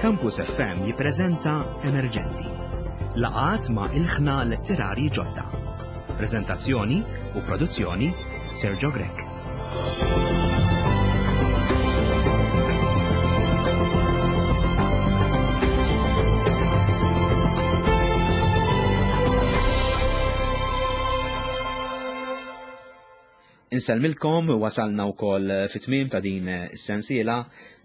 Campus FM jippreżenta Emerġenti. Laqgħat ma' ilħna letterarji ġodda. Preżentazzjoni u produzzjoni Sergio Grech. Insellmilkom, wasalna wkoll fit-tmiem ta' din is-sensiela.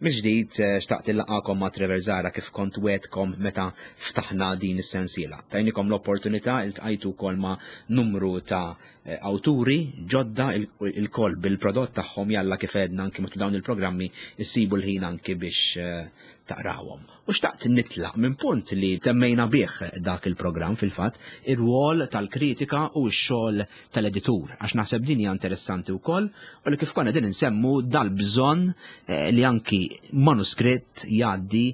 Mill-ġdid eh, xtaqt illaqakom ma' Trevor Zara kif kont wetkom meta ftaħna din is-sensiela. Tajnikom l-opportunità iltqajtu wkoll ma' numru ta' eh, awturi ġodda il-koll bil-prodott tagħhom jalla kif għedna anki matul dawn il-programmi issibu l-ħin anki biex eh, taqrawhom. U xtaqt nitlaq minn punt li temmejna bih dak il-programm fil-fatt, ir-rwol tal-kritika u x-xogħol tal-editur, għax naħseb din hija interessanti wkoll u li kif konna din insemmu dal-bżonn eh, li anki manuskritt jgħaddi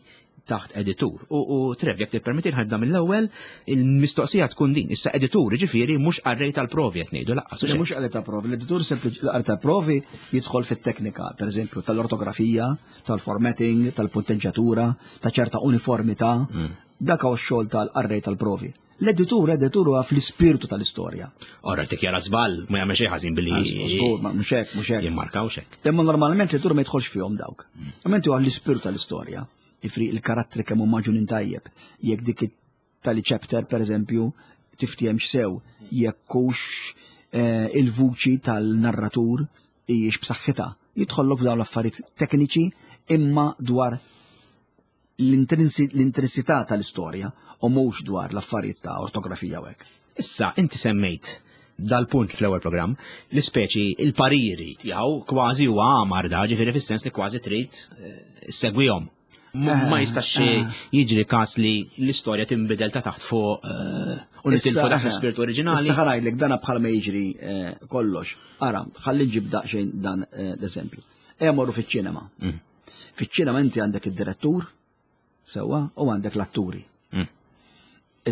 taħt editur. U, u Trev, jekk tippermetti ħadda mill-ewwel, il-mistoqsija tkun din. Issa editur, ġifieri mhux qarrej tal-provi qed ngħidu laqqas. Le mhux qarrej tal-provi, l-editur sempliċi l-qarrej tal-provi jidħol fit-teknika, pereżempju tal-ortografija, tal-formatting, tal-punteġġatura, ta' ċerta uniformità. Mm. Dak huwa x-xogħol tal-qarrej tal-provi. L-editur, editur huwa fl-ispirtu tal-istorja. Ora tikjara żball, ma jagħmel xejn ħażin billi. Żgur, ma mhux hekk, mhux hekk. Jimmarkaw xek. Imma normalment l-editur ma jidħolx fihom dawk. Mm. Imma inti huwa l-ispirtu tal-istorja. Ifri il-karattri kemm huma ġunin tajjeb. Jekk dik tali chapter per eżempju tiftiehemx sew jekk hux eh, il-vuċi tal-narratur hijiex b'saħħitha. Jidħollok f'dawn l-affarijiet tekniċi imma dwar l-intrinsità tal-istorja u mhux dwar l-affarijiet ta' ortografija u hekk. Issa, inti semmejt dal-punt fl-ewwel programm, l-ispeċi il-pariri tiegħu kważi huwa għamar da, ġifieri fis-sens li kważi trid eh, segwihom. Ma eh, jistax eh. jiġri każ li l-istorja tinbidel ta' taħt fuq eh, u nitilfu dak l-ispirtu oriġinali. Issa ħarajdlek dana bħal ma jiġri kollox. Ara, ħalli nġib daqsxejn dan l-eżempju. Ejja morru fiċ-ċinema. Mm. Fiċ-ċinema inti għandek id-direttur, sewwa, u għandek l-atturi. Mm.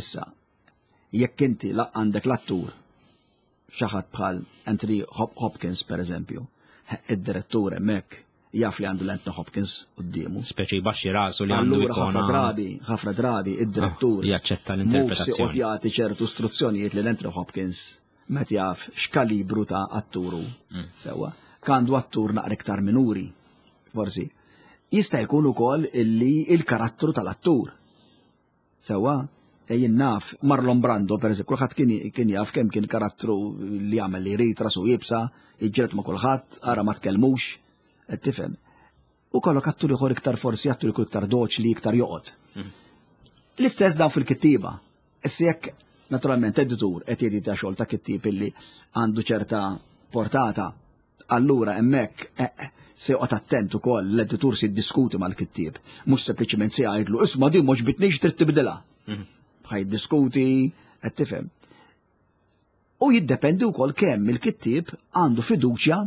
Issa, jekk inti għandek l-attur xi ħadd bħal Anthony Hopkins per eżempju, id-direttur hemmhekk jaf li għandu l-Anthony Hopkins quddiemu. Speċi jbaxxi rasu li għandu Allura ħafna drabi, ħafna drabi id-direttur ah, jaċċetta l-interpretazzjoni. Mhux jagħti ċertu istruzzjonijiet li l-Anthony Hopkins meta jaf x'kalibru ta' atturu. Mm. Sewwa, kandu attur naqra iktar minuri, forsi. Jista' jkun ukoll illi il-karattru tal-attur Sewwa, e jien naf, Marlon Brando, per eżempju, kulħadd kien, kien jaf kemm kien karattru li jagħmel li jrid, rasu jibsa, jiġġieled ma' kulħadd, ara ma tkellmux, qed tifhem. U kollok attur ieħor iktar forsi attur ikun iktar doċli, iktar joqgħod. Mhm. L-istess dawn fil-kittieba. Issa jekk naturalment editur qed jedita xogħol ta' kittieb illi għandu ċerta portata, Allura hemmhekk eh, eh, se joqgħod attent ukoll l-editur se jiddiskuti mal-kittieb, mhux sempliċement se jgħidlu isma' din mhux bitnix trid tibdilha. Mhm. Ħa jiddiskuti, qed tifhem. U jiddependi wkoll kemm il-kittieb għandu fiduċja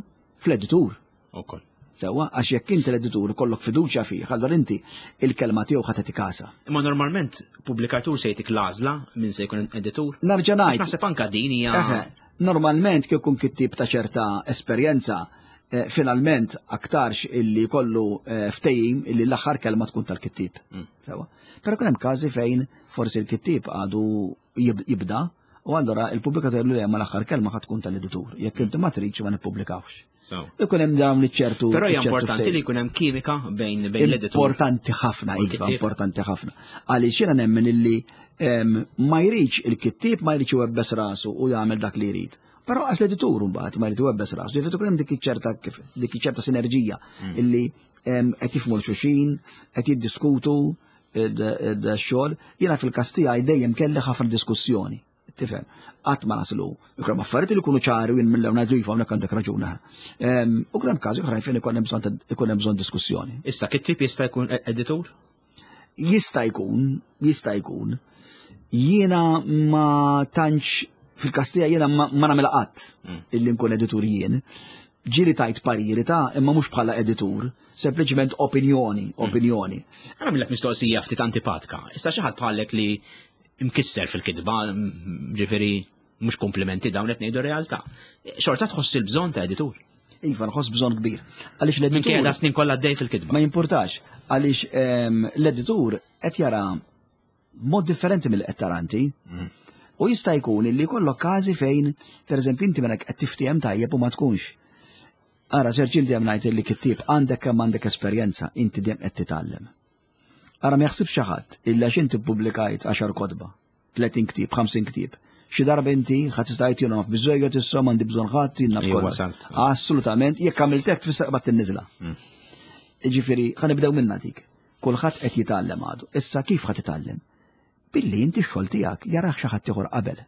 fl-editur. Ukoll. Sewwa, għax jekk inti l-editur kollok fiduċja fih, allura inti il-kelma tiegħu ħa tagħti kasha. Imma normalment pubblikatur se jtik l-għażla minn se jkun editur. Narġa' ngħid. Naħseb anka din hija. Normalment kif ikun kittieb ta' ċerta esperjenza, eh, finalment aktarx illi kollu eh, ftehim illi l-aħħar kelma tkun tal-kittieb. Mm. Sewa. Però kien hemm każi fejn forsi l-kittieb għadu jibda u allura il-pubblikatur jgħidlu li l-aħħar kelma ħad tkun tal-editur. Jekk inti ma tridx ma nippubblikawx. Ikun hemm dawn iċ-ċertu. Però hija importanti li jkun hemm kimika bejn bejn l-editur. Importanti ħafna, iva, importanti ħafna. Għaliex jiena nemmen illi ma jridx il-kittieb ma jridx iwebbes rasu u jagħmel dak li jrid. Però għax l-editur mbagħad ma jrid iwebbes rasu. Ġifieri tkun hemm dik iċ-ċerta dik iċ-ċerta sinerġija mm. illi qed jifhmu l-xuxin, qed jiddiskutu id-xogħol. Jiena fil-każ tiegħi dejjem kelli ħafna diskussjoni. Tifhem, qatt ma naslu. Ikun hemm affarijiet li jkunu ċari u jien mill-ewwel ngħidu iva hawnhekk għandek raġun. Ehm, u kien hemm każi oħrajn fejn ikun hemm bżonn ikun hemm bżonn diskussjoni. Issa kittib jista' jkun e- editur? Jista' jkun, jista' jkun. Jiena ma tantx fil-kastija jiena ma nagħmilha qatt mm. illi nkun editur jien. Ġieli tajt pariri ta' imma mhux bħala editur, sempliċement opinjoni, mm. opinjoni. Għana millek mistoqsija ftit antipatka. Issa xi ħadd bħalek li imkisser fil-kitba, ġifieri mhux komplimenti dawn qed ngħidu realtà. Xorta tħoss il-bżonn ta' editur. Iva, nħoss bżonn kbir. Għaliex l-editur. Minkejja snin kollha għaddej fil-kitba. Ma jimpurtax. Għaliex ehm, l-editur qed jara mod differenti mill qed tara inti. U jista' jkun li jkollok każi fejn, pereżempju, inti mela qed tiftiehem tajjeb u ma tkunx. Ara, Serġil dejjem ngħid li kittieb għandek kemm għandek esperjenza, inti dejjem qed titgħallem. Ara ma jaħsibx xi ħadd illi għax inti ppubblikajt 10 kotba, 30 ktieb, 50 ktieb. Xi darba inti ħadd tista' jgħid naf biżejjed issa m'għandi bżonn ħadd jien naf kollox. Assolutament, jekk għamilt hekk tfisser qbad tinniżla. Mm. Ġifieri, ħa nibdew minna dik. Kulħadd qed jitgħallem għadu. Issa kif ħa titgħallem? Billi inti x-xogħol tiegħek jarah xi ħadd ieħor qabel.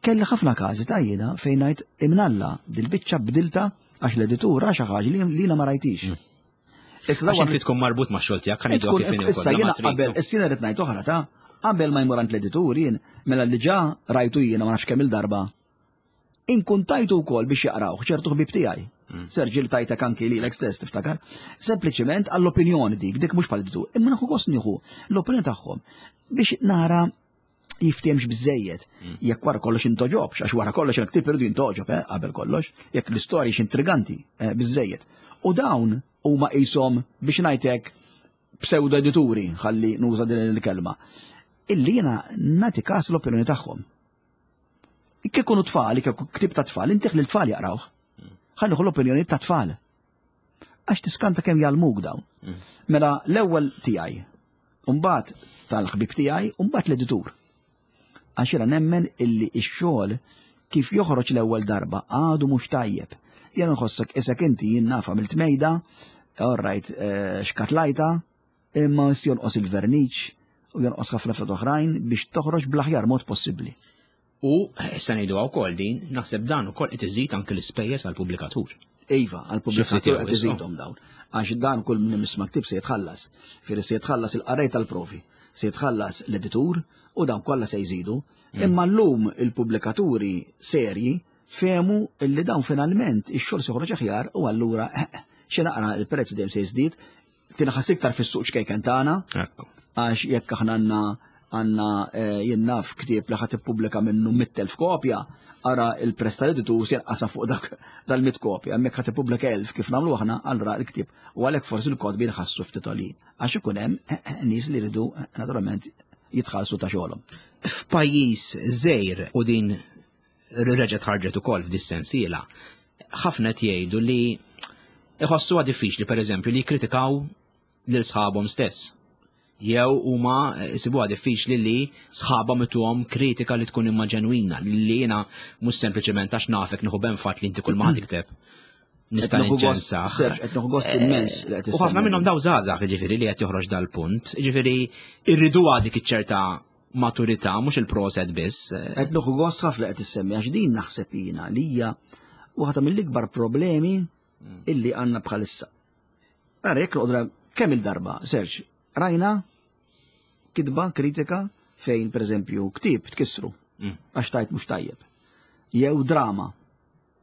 Kelli ħafna każi ta' jiena fejn ngħid imnalla dil-biċċa bdilta għax l-editur ra xi ħaġa li jiena ma rajtix. Mm. Issa għax inti tkun marbut ma' xogħol tiegħek kan tkun Issa jiena qabel, issa jiena rrid ngħid oħra ta' qabel ma jmur għand l-editur jien mela li ġa rajtu jiena ma nafx kemm il-darba. Inkun tajtu wkoll biex jaqrawh ċertu ħbib tiegħi. Mm. Serġil tajtek anki li l stess tiftakar. Sempliċiment għall-opinjoni dik, dik mhux bħal editur. Imma nieħu gost nieħu l-opinjoni tagħhom biex nara jiftiemx biżejjed. Mm. Jekk wara kollox intoġobx, għax wara kollox il-ktib irridu jintoġob, eh, qabel kollox, jekk l-istorja intriganti eh, biżejjed. U dawn huma qishom biex ngħidlek pseudo edituri, ħalli nuża din il-kelma, illi jiena nagħti każ l-opinjoni tagħhom. Kikunu tfal, kieku ktib ta' tfal, intih li l-tfal jaqrawh. Mm. Ħalli l-opinjoni ta' tfal. Għax tiskanta kemm jgħallmuk dawn. Mm. Mela l-ewwel tiegħi, Umbagħad tal-ħbieb tiegħi, umbagħad l-editur. Għax jiena nemmen illi x-xogħol kif joħroġ l-ewwel darba għadu mhux tajjeb. Jiena nħossok isek inti jien naf għamilt mejda, all right, eh, xkatlajta, imma jonqos il-verniċ u jonqos ħafna affarijiet oħrajn biex toħroġ bl-aħjar mod possibbli. U issa ngħiduha wkoll din, naħseb dan ukoll qed iżid anke l-ispejjeż għall-pubblikatur. Iva, għall-pubblikatur qed iżidhom dawn. Għax dan kull min isma' ktib se jitħallas. Firri se jitħallas il-qarrej tal-provi, se jitħallas l-editur u dawn kollha se jżidu. Mm. Imma llum il-pubblikaturi serji fehmu illi dawn finalment ix-xogħol se joħroġ aħjar u allura eh, eh, xi naqra il-prezz dejjem se jiżdied, tinħass iktar fis-suq ċkejken tagħna. Għax jekk aħna għandna għandna eh, jien naf ktieb li ħadd ippubblika minnu 100,000 kopja, ara il-press tal-editur se jinqasa fuq dak dal-100 kopja, hemmhekk ħadd ippubblika 1000 kif nagħmlu aħna allura l-ktieb. U għalhekk forsi l-kotbi nħassu ftit għolin. Għax ikun hemm eh, eh, nies li jridu naturalment jitħallsu ta' xogħolhom. F'pajjiż żgħir u din reġgħet ħarġet ukoll f'dis-sensiela, ħafna qed jgħidu li iħossuha diffiċli pereżempju li jikkritikaw lil sħabhom stess. Jew huma jsibuha diffiċli li sħabhom ituhom kritika li tkun imma ġenwina, li jiena mhux sempliċement għax nafek nieħu benfat li inti kull ma tikteb. Nista' niċċensa. Qed nieħu gost immens li qed U ħafna minnhom daw żgħażagħ jiġifieri li qed joħroġ dal-punt, jiġifieri irriduha dik iċ-ċerta maturità, mhux il-proset biss. Qed nieħu gost ħafna qed issemmi għax din naħseb jiena li hija waħda mill-ikbar problemi mm. illi għandna bħalissa. Ara jekk noqdra kemm il-darba, Serġ, rajna kitba kritika fejn pereżempju ktieb tkissru mm. għax tajt mhux tajjeb. Jew drama,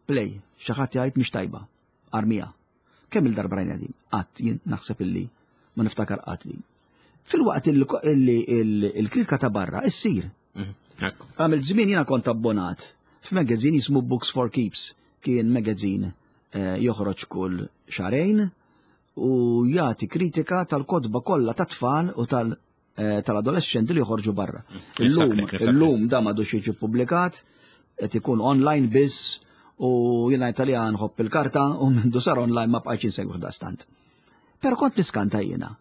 play, xi ħadd jgħid mhix tajba, armija. Kemm il-darba rajna din? Qatt jien naħseb illi ma niftakar qatt li. Fil-waqt illi il-kritika ta' barra issir. Mhm. Għamil żmien jiena kont abbonat f'magazine jismu Books for Keeps, kien magazine eh, joħroġ kull xarejn u jagħti kritika tal-kotba kollha tat-tfal u tal- Eh, tal-adolescenti li joħorġu barra. Illum, illum da m'għadux jiġi publikat, qed ikun online biss u jiena Italjan ħobb il-karta u mindu sar online ma bqajtx insegwih daqstant. Però kont niskanta jiena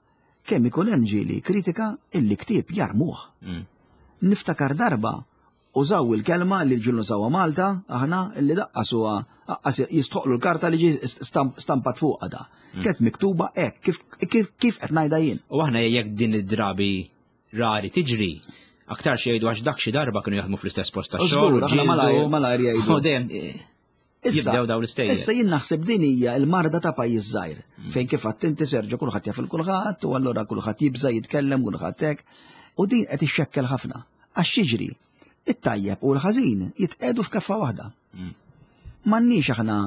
kemm ikun hemm ġieli kritika illi ktieb jarmuh. Mm. Niftakar darba Użaw il-kelma li l-ġul nużawha Malta, aħna, li daqqas huwa aqqas jistħoqlu l-karta li ġie stampat fuqha da. Mm. Kienet miktuba hekk, kif kif qed ngħidha jien. U aħna jekk din id-drabi rari tiġri, aktar xi jgħidu għax dak xi darba kienu jaħdmu fl-istess post ta' xogħol. Aħna malajr malajr jgħidu. U dejjem eh, jibdew dawn l-istejjer. Issa jien naħseb din hija l-marda ta' pajjiż żgħir, mm. fejn kif għadt inti Serġo kulħadd jaf il-kulħadd u allura kulħadd jibża' jitkellem kulħadd hekk. U din qed ixxekkel ħafna. Għax jiġri, it-tajjeb u l-ħażin jitqegħdu f'keffa waħda. Mm. M'għandniex aħna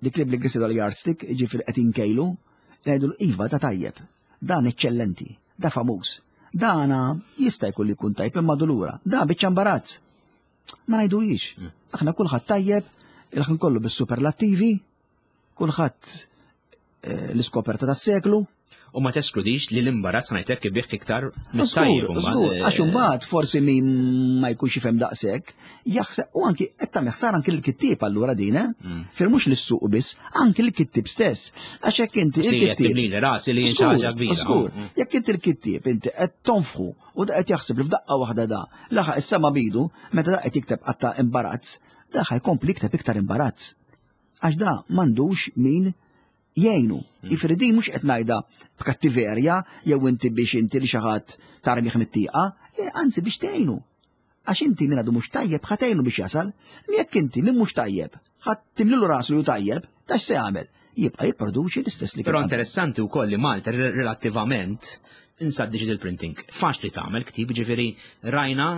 dik li bl-Ingliż l-yardstick, ġifieri qed inkejlu, ngħidu iva ta' tajjeb, dan eċċellenti, da famuż, dana jista' jkun li jkun tajjeb imma dulura, da biċċa imbarazz. Ma ngħiduhiex. Mm. Aħna kulħadd tajjeb, il-ħin kollu bis-superlattivi, kulħadd eh, l-iskoperta tas-seklu. U ma teskludix li l-imbarazz ngħidlek ibih iktar mit-tajjeb. Żgur, għax imbagħad forsi min ma jkunx jifhem daqshekk, jaħseb u anki qed tagħmel ħsara anki l-kittieb allura din, eh? Fir mhux lis-suq biss, anki l-kittieb stess. Għax jekk inti il-kittieb. Tibnili rasi li xi ħaġa kbira. Żgur, jekk inti l-kittieb inti qed tonfħu u da qed jaħseb li f'daqqa waħda da laħaq is-sema bidu meta da qed jikteb qatta imbarazz, da ħajkompli jikteb iktar imbarazz. Għax da m'għandux min jgħinu. Jiġifieri din mhux qed ngħidha b'kattiverja jew inti biex inti li xi ħadd tarmih mit-tieqa, anzi biex tgħinu. Għax inti min għadu mhux tajjeb ħa tgħinu biex jasal, jekk inti min mhux tajjeb ħa timlilu rasu li hu tajjeb, ta' x'se jagħmel? Jibqa' jipproduċi l-istess li Però interessanti wkoll li Malta relattivament insa digital printing. Faċli tagħmel ktib, ġifieri rajna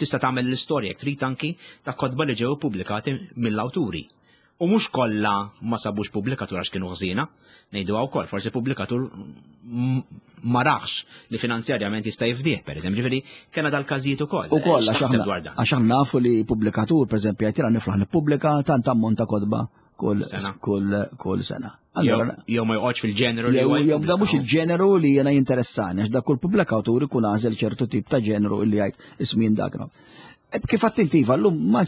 tista' tagħmel l-istorja jekk trid anki ta' kotba li ġew ippubblikati mill-awturi. U mhux kollha ma sabux pubblikatur għax kienu ħżiena, ngħiduha wkoll, forsi pubblikatur ma raħx li finanzjarjament jista' jifdih, pereżempju, ġifieri kellna dal-każijiet ukoll. Ukoll għax aħna nafu li pubblikatur, pereżempju, jgħid jiena niflaħ nippubblika tant ammont ta' kotba kull kull sena. Jew ma joqgħodx fil-ġeneru li huwa. Jew da mhux il-ġeneru li jiena jinteressani, għax da kull pubblikatur ikun għażel ċertu tip ta' ġeneru li jgħid ismin dak. Kif attintiva llum ma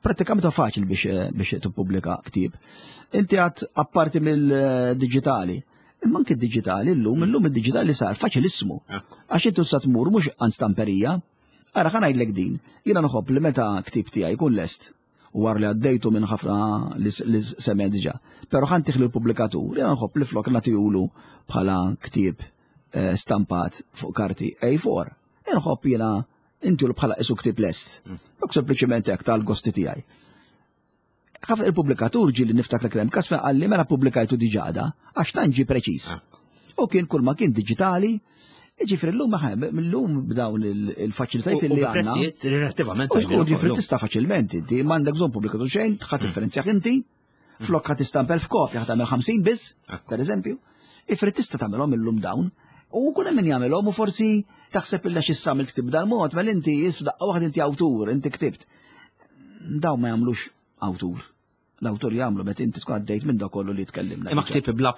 Pratikament huwa faċli biex eh, biex tippubblika ktieb. Inti għad apparti mill-diġitali. Imma anke d-diġitali llum, illum id-diġitali sar faċilismu. Għax inti sa tmur mhux għand stamperija. Ara ħa ngħidlek din, jiena nħobb li meta ktieb tiegħi jkun lest u war li għaddejtu minn ħafna li semmen diġà. Però ħan tiħlu l-pubblikatur, jiena nħobb li flok nagħtihulu bħala ktieb eh, stampat fuq karti A4. Nħobb jiena Inti l bħala isu ktib lest. Dok sempliċement hekk tal-gosti tiegħi. Ħafna il-pubblikatur ġieli niftakar kemm każ fejn qalli mela pubblikajtu diġà għax tant ġie preċiż. Ah. U kien kull ma kien diġitali, Ġifri l-lum l-lum b'dawn il-faċilitajiet li għandna. Prezzijiet relattivament. Ġifri tista' faċilment inti, m'għandek bżonn pubblikatur xejn, ħadd differenzjah inti, Flok ħa tistampel f'kopja ħa tagħmel 50 biss, per eżempju, ifri tista' tagħmelhom illum dawn. U kun hemm min jagħmelhom u forsi taħseb illa xi samil ktib dal-mod, mela inti daqqa waħda inti awtur, inti ktibt. Dawn ma jagħmlux awtur. L-awtur jagħmlu meta inti tkun għaddejt minn dak kollu li tkellimna. Imma ktib bla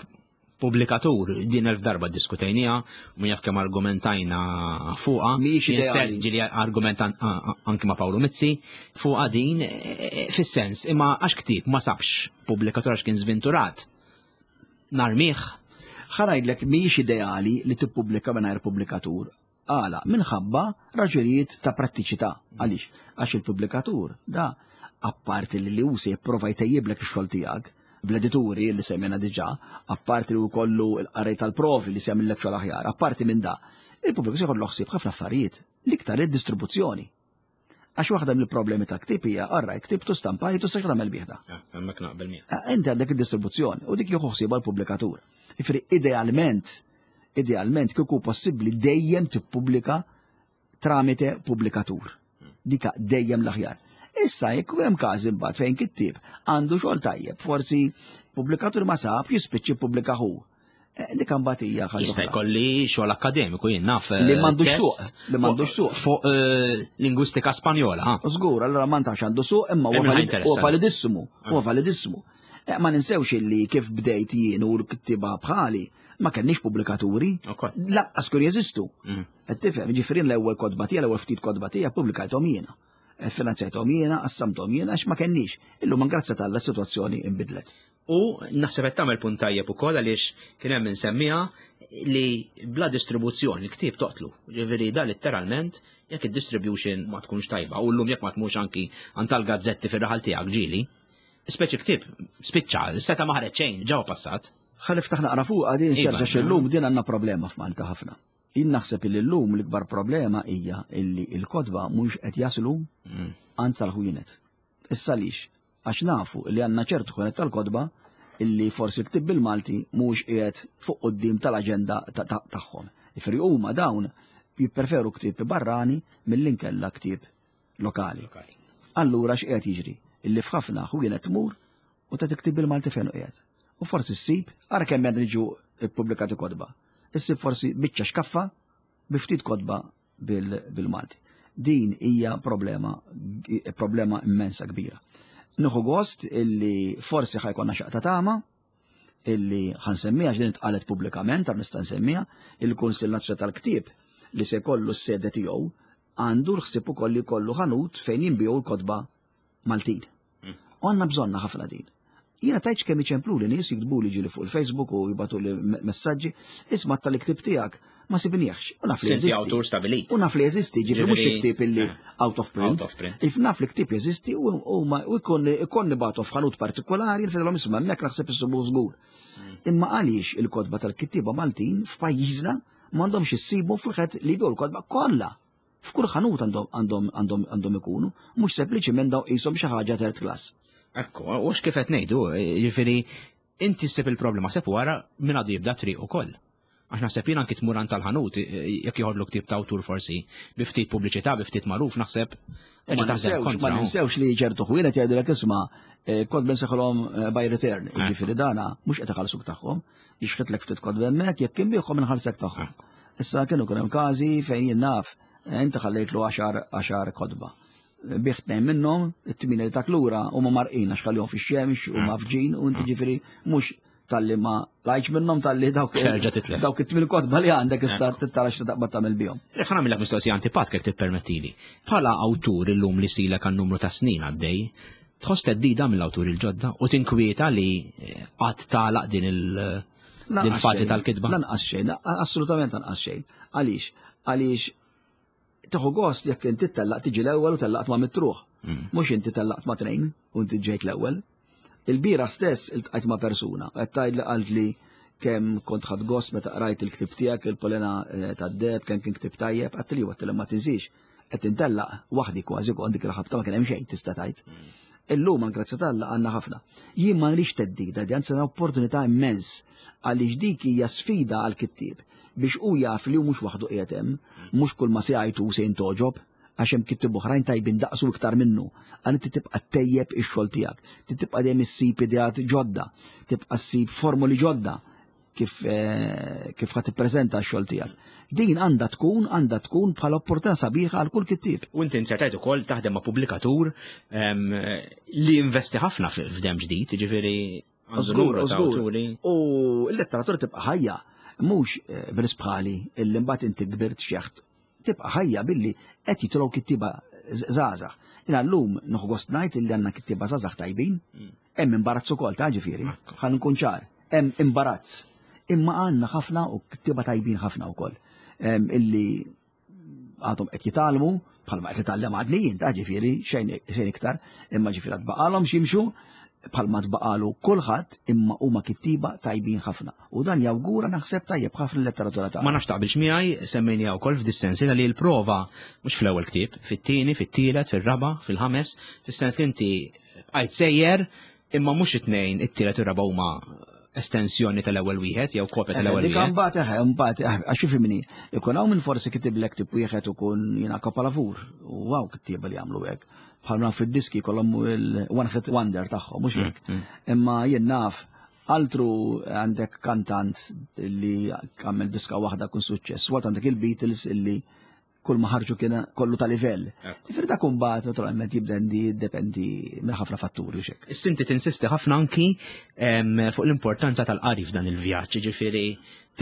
pubblikatur din elf darba ddiskutejniha, u min jaf kemm argumentajna fuqha. Mhijiex Jien ideali. stess ġieli argument anki ma' Paolo Mizzi fuqha din e, e, fis-sens imma għax ktieb ma sabx pubblikatur għax kien żvinturat. Narmih. Ħa ngħidlek mhijiex ideali li tippubblika mingħajr pubblikatur. Għala? Minħabba raġunijiet ta' prattiċità. Għaliex? Għax il-pubblikatur da apparti li li hu se jipprova jtejjiblek ix-xogħol tiegħek, bl-edituri li semmejna diġà, apparti li jkollu l-qarrej tal-provi li se jagħmillek xogħol aħjar, apparti minn da, il-pubbliku se jkollu ħsieb ħafna affarijiet, l-iktar id-distribuzzjoni. Għax waħda mill-problemi ta' ktib hija, orrajt, ktibtu stampajtu se tagħmel bih da. Ah, hemmhekk naqbel miegħek. Ah, inti għandek id-distribuzzjoni u dik jieħu ħsiebha l-pubblikatur. Ifri idealment, idealment kieku possibbli dejjem tippubblika tramite pubblikatur. Dika dejjem l-aħjar. Issa jekk hemm każi mbagħad fejn kittieb għandu xogħol tajjeb, forsi pubblikatur ma sab jispiċċi pubblika hu. Eh, dik mbagħad hija ħaġa. Jista' jkolli xogħol akkademiku jien naf. Eh, li m'għandux suq, li m'għandux suq. Fuq eh, lingwistika Spanjola. Żgur, allura ma ntax għandu suq imma huwa validissimu, huwa validissimu. Ma ninsewx illi kif bdejt jien u l-kittiba bħali ma kenniex pubblikaturi. Laqqas kur jeżistu. Mm. Qed tifhem, ġifieri l-ewwel kotba tiegħi, l-ewwel ftit kotba tiegħi pubblikajthom jiena. Finanzjajthom jiena, qassamthom jiena għax ma kenniex. Illum grazzi tal sitwazzjoni inbidlet. U naħseb qed tagħmel punt tajjeb ukoll għaliex kien hemm insemmiha li bla distribuzzjoni l-ktieb toqtlu. Ġifieri da letteralment jekk id-distribution ma tkunx tajba u llum jekk ma tmurx anki għand tal-gazzetti fir-raħal tiegħek ġieli, speċi ktieb spiċċa, seta' ma ħareġ xejn ġewwa passat. Ħa niftaħ naqra fuqha din Iva. xerġa x'illum din għandna problema f'Malta ħafna. Jien naħseb illi llum l-ikbar problema hija illi l-kotba mhux qed jaslu għand tal-ħwienet. Issa għaliex? Għax nafu li għandna ċertu ħwienet tal-kotba illi forsi l-ktieb bil-Malti mhuwiex qiegħed fuq quddiem tal-aġenda tagħhom. Jiġifieri huma dawn jippreferu ktieb barrani milli nkella ktieb lokali. Allura x'qiegħed jiġri? Illi f'ħafna ħwienet tmur u tagħti ktieb bil-Malti fejn hu qiegħed. U forsi ssib, ara kemm qed jiġu ppubblikati kotba. Issib forsi biċċa xkaffa bi ftit kotba bil-Malti. Din hija problema, problema immensa kbira. Nieħu gost illi forsi ħajkonna xaqta tama, illi ħa nsemmiha għax din intqalet pubblikament, għar nista' nsemmiha, il-Kunsill Nazzjonali tal-Ktieb li se jkollu s-sede tiegħu għandu l-ħsieb ukoll li jkollu ħanut fejn jinbiegħu l-kotba Maltin. U għandna bżonna ħafna din. Jiena tajtx kemm iċemplu li nies jiktbu li ġili fuq il-Facebook u jibatu li messaġġi, isma' tal-iktib tiegħek ma sibniex. U naf li jeżisti. awtur stabilit. U naf li jeżisti, ġifieri mhux ktieb illi eh, out of print. If naf li ktieb jeżisti u jkun nibatu f'ħanut partikolari, nfidilhom isma' hemmhekk naħseb issibu żgur. Imma għaliex il-kotba tal-kittieba Maltin f'pajjiżna m'għandhomx issibu fil-ħed li jbiegħu l-kotba kollha. F'kull ħanut għandhom għandhom għandhom għandhom ikunu, mhux sempliċiment daw qishom xi ħaġa third class. Ekku, u kif qed ngħidu, jiġifieri inti ssib il-problema seb wara minn għadu jibda triq ukoll. Għax naħseb jien anki tmur tal-ħanut, jekk joħodlu ktieb ta' awtur forsi, bi ftit pubbliċità, bi ftit magħruf, naħseb terġa' taħdem kontra. Ma ninsewx li ċertu ħwienet jgħidulek isma' eh, kont benseħolhom eh, by return, jiġifieri dana mhux qed iħallsuk tagħhom, jixħetlek ftit kotba hemmhekk jekk kien bieħhom inħallsek tagħhom. Issa kienu kien hemm każi fejn jien naf, eh, inti ħallejtlu għaxar kotba. Bih tnejn minnhom, it-tmien li tak lura huma marqin għax ħallihom fix-xemx u mafġin u inti ġifieri mhux talli ma lajċ minnhom talli dawk dawk it-tmien kotba li għandek issa tittara x'taqbad tagħmel bihom. Ref nagħmilek mistoqsija antipatka jekk tippermettili. Bħala awtur illum li silek għan numru ta' snin għaddej, Tħoss theddida mill-awturi l-ġodda u tinkwieta li eh, qatt tagħlaq din il- fażi tal-kitba? Lanqas xejn, assolutament lanqas xejn. Għaliex? Għaliex tieħu gost jekk inti tellaq tiġi l-ewwel u tellaqt ma' mitruħ. Mhux inti tellaqt ma' tnejn u inti ġejt l-ewwel. Il-bira stess iltqajt ma' persuna, qed tgħid li qalt li kemm kont ħadd gost meta qrajt il-ktib tiegħek il-polena eh, tad-deb, kemm kien ktib tajjeb, għadt li għadt li ma tinsiex. Qed intellaq waħdi kważi kont dik il-ħabta ma kien hemm xejn tista' tgħid. Illum għal grazzja t'Alla għandna ħafna. Jien ma nrix theddida, di anzi opportunità immens għaliex dik hija sfida għal kittieb biex hu jaf li hu mhux waħdu qiegħed hemm, mhux kull ma se jgħid hu se jintogħġob, għax hemm kittieb oħrajn tajbin daqsu iktar minnu. Għal inti tibqa' ttejjeb ix-xogħol tiegħek, tibqa' dejjem issib ideat ġodda, tibqa' ssib formuli ġodda kif eh, kif ħa tippreżenta x-xogħol tiegħek. Din għandha tkun għandha tkun bħala opportunità sabiħa għal kull kittieb. U inti insertajt ukoll taħdem ma' pubblikatur ehm, li investi ħafna f'dem ġdid, jiġifieri Żgur, żgur. U l-letteratura tibqa' ħajja, mhux eh, b'nies bħali illi mbagħad inti kbirt xeħt tibqa' ħajja billi qed jitilgħu kittieba żgħażagħ. Jiena llum nieħu gost ngħid illi għandna kittieba żgħażagħ tajbin, mm. hemm imbarazz ukoll ta' ġifieri, ħa nkun ċar, hemm imbarazz. Imma għandna ħafna u kittieba tajbin ħafna wkoll illi għadhom qed jitgħallmu bħalma qed nitgħallem għadni jien ta' ġifieri xejn iktar, imma ġifieri għad baqalhom x'jimxu bħalma tbaqalu kulħadd imma huma kittiba tajbin ħafna. U dan jawgura naħseb tajjeb ħafna l-letteratura tagħna. Ma nafx taqbilx miegħi semmejniha wkoll f'dis-sens li l-prova mhux fl-ewwel ktieb, fit-tieni, fit-tielet, fir-raba', fil-ħames, fis-sens li inti bqajt sejjer imma mhux it-tnejn, it-tielet u r-raba' huma estensjoni tal-ewwel wieħed jew kopja tal-ewwel wieħed. Imbagħad eħe, imbagħad eħe, għax ifhimni, ikun hawn min forsi kitiblek tip wieħed ukun jiena kapalavur u hawn kittieba li jagħmlu hekk. Bħalma fid-diski kollhom il-one hit wonder tagħhom, mhux hekk. Mm, mm. Imma jien naf altru għandek kantant li għamel diska waħda kun suċċess, waqt għandek il-Beatles illi kull ma ħarġu kien kollu ta' livell. Ġifieri dak imbagħad naturalment jibdendi jiddependi minn ħafna fatturi u xek. Issinti tinsisti ħafna anki fuq l-importanza tal-qari f'dan il-vjaġġ, ġifieri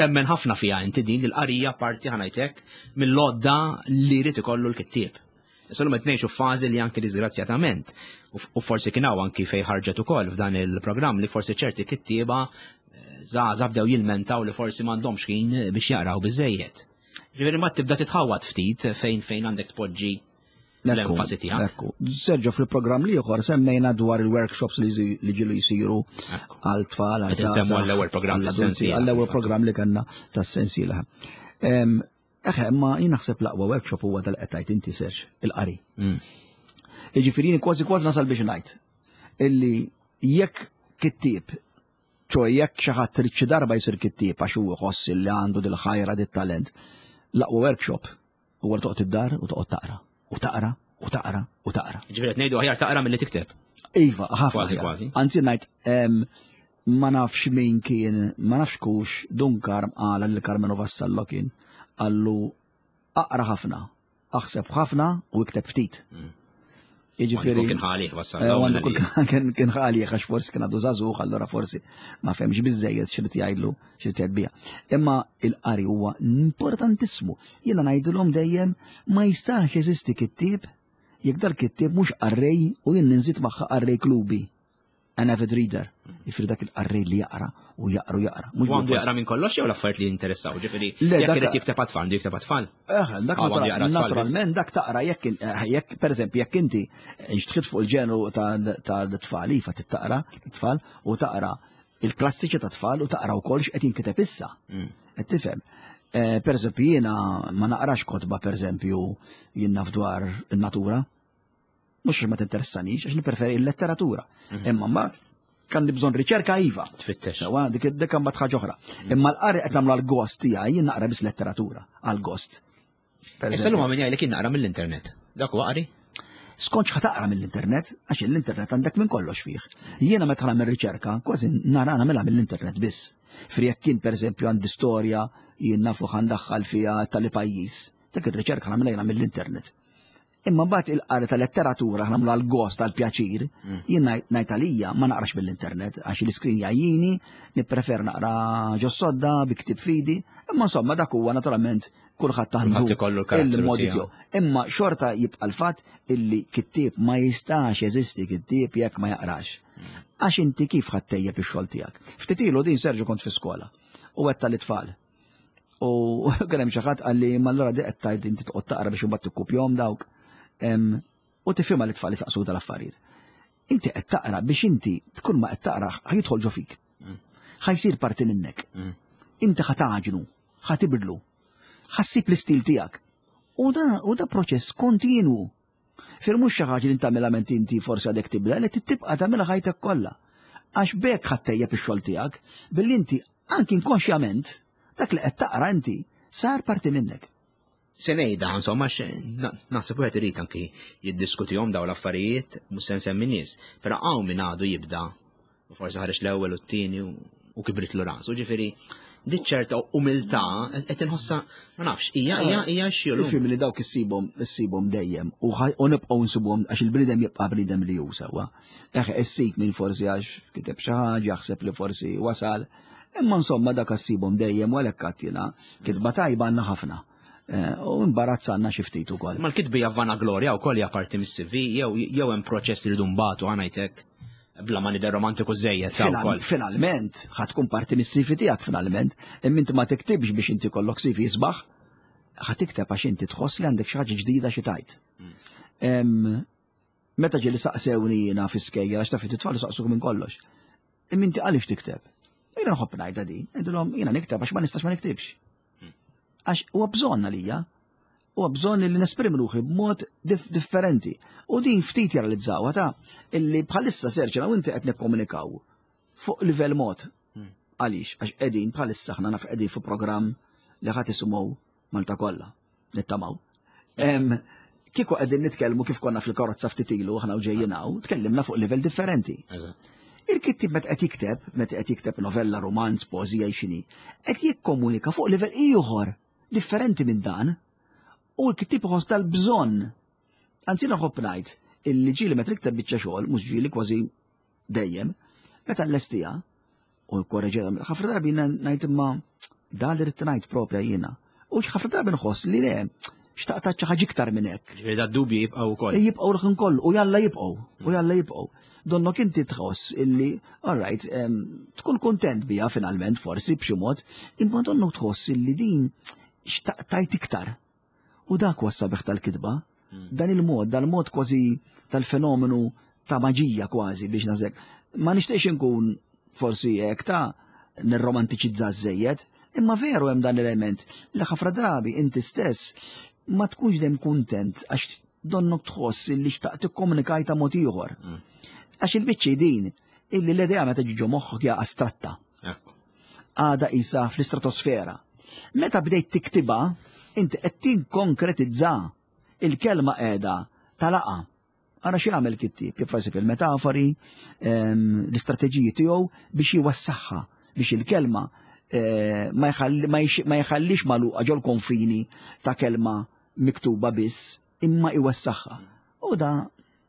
temmen ħafna fiha inti din l-qarija parti ħanajtek mill-lodda li jrid ikollu l-kittieb. Issa l qed ngħixu f'fażi li anki disgrazzjatament u forsi kien hawn anki fejn ħarġet ukoll f'dan il-programm li forsi ċerti kittieba eh, żgħażagħ bdew jilmentaw li forsi m'għandhomx ħin biex jaqraw biżejjed. Ġifieri ma tibda titħawad ftit fejn fejn għandek tpoġġi l-enfasi tiegħek. Ekku. Sergio fil-programm li ieħor semmejna dwar il-workshops li ġilu jsiru għal tfal għal Semmu għall-ewwel programm tas-sensiela. Għall-ewwel programm li kellna tas-sensiela. Eħe, ma jien naħseb l-aqwa workshop huwa dal qed tgħid inti Serġ, il-qari. Mm. Jiġifieri kważi kważi nasal biex ngħid illi jekk kittieb ċo jekk xi ħadd trid xi darba jsir kittieb għax hu jħoss li għandu dil-ħajra dit-talent, l-aqwa workshop huwa li toqgħod id-dar u toqgħod taqra u taqra u taqra u taqra. Ġifieri qed ngħidu aħjar taqra milli tikteb. Iva, ħafna. Kważi kważi. Anzi ngħid ma nafx min kien, ma nafx kux Dun Karm qala lil Karmenu Vassallo kien qallu aqra ħafna, aħseb ħafna u ikteb ftit. Mm. Jiġifieri kien ħalih wassal. Eh, kien ħalih għax forsi kien għadu żagħżugħ, allura forsi ma fehmx biżejjed x'irid jgħidlu x'irid jgħid biha. Imma il-qari huwa importantissimu. Jiena ngħidilhom dejjem ma jistax jeżisti kittieb jekk dal-kittieb mhux qarrej u jien ninżid magħha qarrej klubi. An avid reader. Jifri dak il-qarrej li jaqra u jaqra u jaqra. Mhux għandu jaqra minn kollox jew l-affarijiet li jinteressaw, ġifieri jekk irid jikteb għat-tfal, għandu jikteb għat-tfal. Eh, dak ah, naturalment dak taqra jekk eh, jekk pereżempju jekk inti nxtħit fuq il-ġenru tal-tfal iva taqra tfal u taqra il-klassiċi ta' tfal u taqra wkoll x'qed jinkiteb issa. Qed tifhem. Eh, per eżempju jiena ma naqrax kotba per eżempju jien naf dwar in-natura. Mhux ma tinteressanix, għax nippreferi l-letteratura. Mhm. Imma mbagħad kan li bżonn riċerka iva. Tfittex. Sewa, dik dik mbagħad ħaġa oħra. Mhm. Imma l-qari qed nagħmlu għall-gost tiegħi jien naqra biss letteratura għall-gost. Issa l-huma min jgħidlek jien naqra mill-internet. Dak huwa qari? Skont x'ħa taqra mill-internet, għax l-internet għandek minn kollox fih. Jiena meta nagħmel riċerka, kważi nara nagħmilha mill-internet biss. Fri jekk kien pereżempju għandi storja jien nafu ħandaħħal fiha tal-pajjiż, dak ir-riċerka nagħmilha jiena mill-internet. Imma mbagħad il-qari ta' letteratura nagħmlu għal gost għal pjaċir, mm. jien ngħid għalija ma naqrax mill-internet għax l-iskrin jgħajjini, nipprefer naqra ġos-sodda bi ktib fidi, imma insomma dak huwa naturalment kulħadd għandu il-modi tiegħu. Imma xorta jibqa' l-fatt illi kittieb ma jistax jeżisti kittieb jekk ma jaqrax. Mm. Għax inti kif ħadd tejjeb ix-xogħol tiegħek. Ftit ilu din Serġu kont fi skola u għedt tal-itfal. U kien hemm xi ħadd qalli ma allura di qed tgħid inti toqgħod taqra biex imbagħad tikkupjahom dawk. U tifhimha li tfal isaqsu tal-affarijiet. Inti qed taqra biex inti tkun ma qed taqra ħajidħol ġo fik. Mm. Ħajsir parti minnek. Mm. Inti ħa taġnu, ħa tibdlu, ħassib l-istil tiegħek. U da, u da proċess kontinwu. Fir mhux xi ħaġa li tagħmilha ment inti forsi għadek tibda, li tibqa' tagħmilha ħajtek kollha. Għax b'hekk ħa ttejjeb ix-xogħol tiegħek billi inti anki inkonxjament dak li qed taqra inti sar parti minnek. Se ngħidha, insomma, naħseb wieħed irid anki jiddiskutihom dawn l-affarijiet, mhux se nsemmi nies, però hawn min għadu jibda u forsi ħareġ l-ewwel u t-tieni u kibritlu rasu, ġifieri dik ċerta umiltà qed inħossa ma nafx, hija hija hija xi Ifhem li dawk issibhom issibhom dejjem u nibqgħu nsibhom għax il-bniedem jibqa' bniedem li hu sewwa. Eħe issib min forsi għax kiteb xi ħaġa jaħseb li forsi wasal. Imma insomma dak issibhom dejjem u għalhekk għadd jiena kitba tajba għandna ħafna. Eh, u imbarazz għandna xi ftit ukoll. Ma l-kitba hija vanaglorja wkoll hija parti mis-CV jew jew hemm proċess li rridu nbatu ngħidlek bla ma nidher romantiku żejjed ta' wkoll. Finalment, ħa tkun parti mis-CV tiegħek finalment, imma inti ma tiktibx biex inti kollok CV isbaħ, ħa tikteb għax inti tħoss li għandek xi ħaġa ġdida xi tajt. Mm. Meta ġieli saqsewni jiena fi skejjel għax taf it-tfal saqsuk minn kollox. Imma inti għaliex tikteb? Jiena nħobb ngħidha din, ngħidilhom jiena nikteb għax ma nistax ma niktibx. Għax huwa bżonn għalija, huwa bżonn li nesprimi ruħi b'mod differenti. U din ftit jaralizzawha ta' illi bħalissa serċa u inti qed nikkomunikaw fuq livell mod. Hmm. Għaliex, għax qegħdin bħalissa aħna naf qegħdin fuq programm li ħadd isimgħu Malta kollha, nittamaw. Kieku qegħdin nitkellmu kif konna fil-karozza ftit ilu aħna u ġejjin hawn, tkellimna fuq livell differenti. Il-kittib meta qed jikteb, meta qed jikteb novella, romanz, poeżija x'inhi, qed jikkomunika fuq livell ieħor differenti minn dan. U l-kittib iħoss tal-bżonn. Anzi nħobb ngħid illi ġieli meta nikteb biċċa xogħol, mhux ġieli kważi dejjem, meta nlestiha u korreġera, ħafna drabi ngħid imma dan li rrid ngħid propja jiena. U ħafna drabi nħoss li le, xtaqt xi ħaġa iktar minn hekk. Ġifieri da dubji jibqgħu wkoll. Jibqgħu l-ħin kollu u jalla jibqgħu, u jalla jibqgħu. Donnok inti tħoss illi, all right, tkun kontent biha finalment forsi b'xi mod, imma donnok tħoss illi din xtaqtajt iktar. U dak huwa s-sabiħ tal-kitba. Hmm. Dan il-mod, dal-mod kważi tal-fenomenu ta' maġija kważi biex nażek. Ma nixtieqx inkun forsi hekk ta' nirromantiċizza żejjed, imma veru hemm dan l-element li ħafna drabi inti stess ma tkunx dem kuntent għax donnok tħoss li xtaqt tikkomunikaj ta' mod ieħor. Hmm. Għax il-biċċi din illi l-idea meta ġiġu moħħok hija astratta. Għada isa fl-istratosfera. Meta bdejt tiktibha, inti qed tinkonkretizza il-kelma qiegħda talaqa. Ara xi jagħmel kittieb, kif jasib il-metafori, ehm, l-istrateġiji tiegħu biex jwassaħħa biex il-kelma eh, ma jħallix magħluqa ġol konfini ta' kelma miktuba biss, imma iwassaħħa. U da.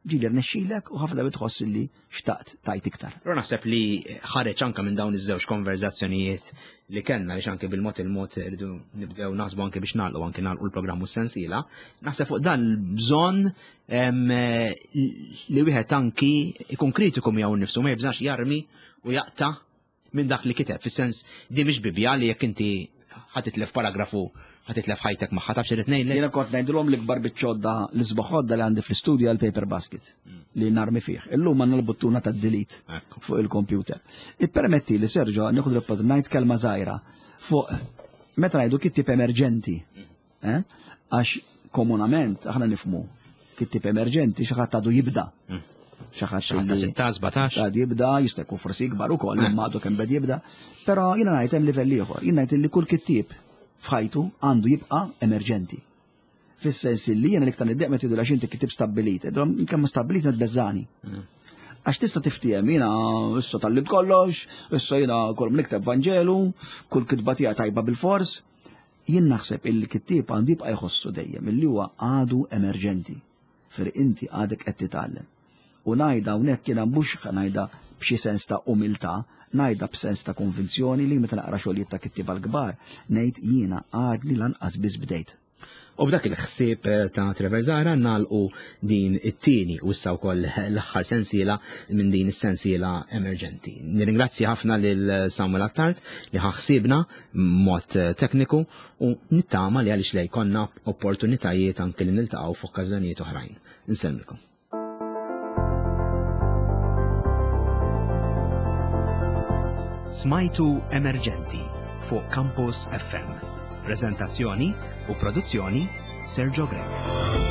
Ġieli rnexxilek u ħafna drabi tħoss li xtaqt tajt iktar. Però naħseb li ħareġ anke minn dawn iż-żewġ konverzazzjonijiet li kellna li anke bil-mod il-mod rridu nibdew naħsbu anke biex nagħlqu anke nagħlqu l-programm u s-sensiela. Naħseb fuq dan l-bżonn li wieħed anki ikun kritiku miegħu nnifsu ma jibżax jarmi u jaqta' minn dak li kiteb, fis-sens di mhix Bibbja li jekk inti ħa titlef paragrafu ħa titlef ħajtek magħha taf x'irid ngħidlek. Jiena kont ngħidilhom l-ikbar biċċodda l-isbaħ għodda li għandi fl-istudju għal paper basket mm. li narmi fih. Illum għandna l-buttuna tad-delete fuq il-computer. Ippermetti li Sergio nieħu l ngħid kelma żgħira fuq meta ngħidu kittieb emerġenti. Mm. Eh? Għax komunament aħna nifmu kittib emerġenti xi ħadd għadu jibda. Mm. Xi ħadd ta' 16, 17. Għadu jibda, jista' jkun forsi ikbar ukoll, mm. imma għadu kemm bed jibda. Però jiena ngħid hemm livell ieħor, jiena ngħid li kull kittieb f'ħajtu għandu jibqa' emerġenti. Fis-sens li jiena l-iktar niddeq meta jgħidu għax inti kittieb stabbilit, kemm stabbilit nitbeżżani. Mm. Għax tista' tiftiehem jiena issa tallimt kollox, issa jiena kull nikteb Vanġelu, kull kitba tiegħi tajba bil-fors. Jien naħseb illi kittieb għandu jibqa' jħossu dejjem illi huwa għadu emerġenti, fer inti għadek qed titgħallem. U ngħidha hawnhekk jiena mhux ngħidha b'xi sens ta' umiltà, ngħidha b'sens ta' konvinzjoni li meta naqra xogħlijiet ta' kittieba l-kbar, ngħid jiena għadni lanqas biss bdejt. U b'dak il-ħsieb eh, ta' Trevor Zahra nagħlqu din it-tieni u issa wkoll l-aħħar sensiela minn din is-sensiela emerġenti. Nirringrazzja ħafna lil Samuel Attard li ħaħsibna mod eh, tekniku u nittama li għaliex lej konna opportunitajiet anke li niltaqgħu f'okkażjonijiet oħrajn. Insellmilkom. Smajtu Emerġenti fuq Campus FM. Prezentazzjoni u produzzjoni Sergio Grech.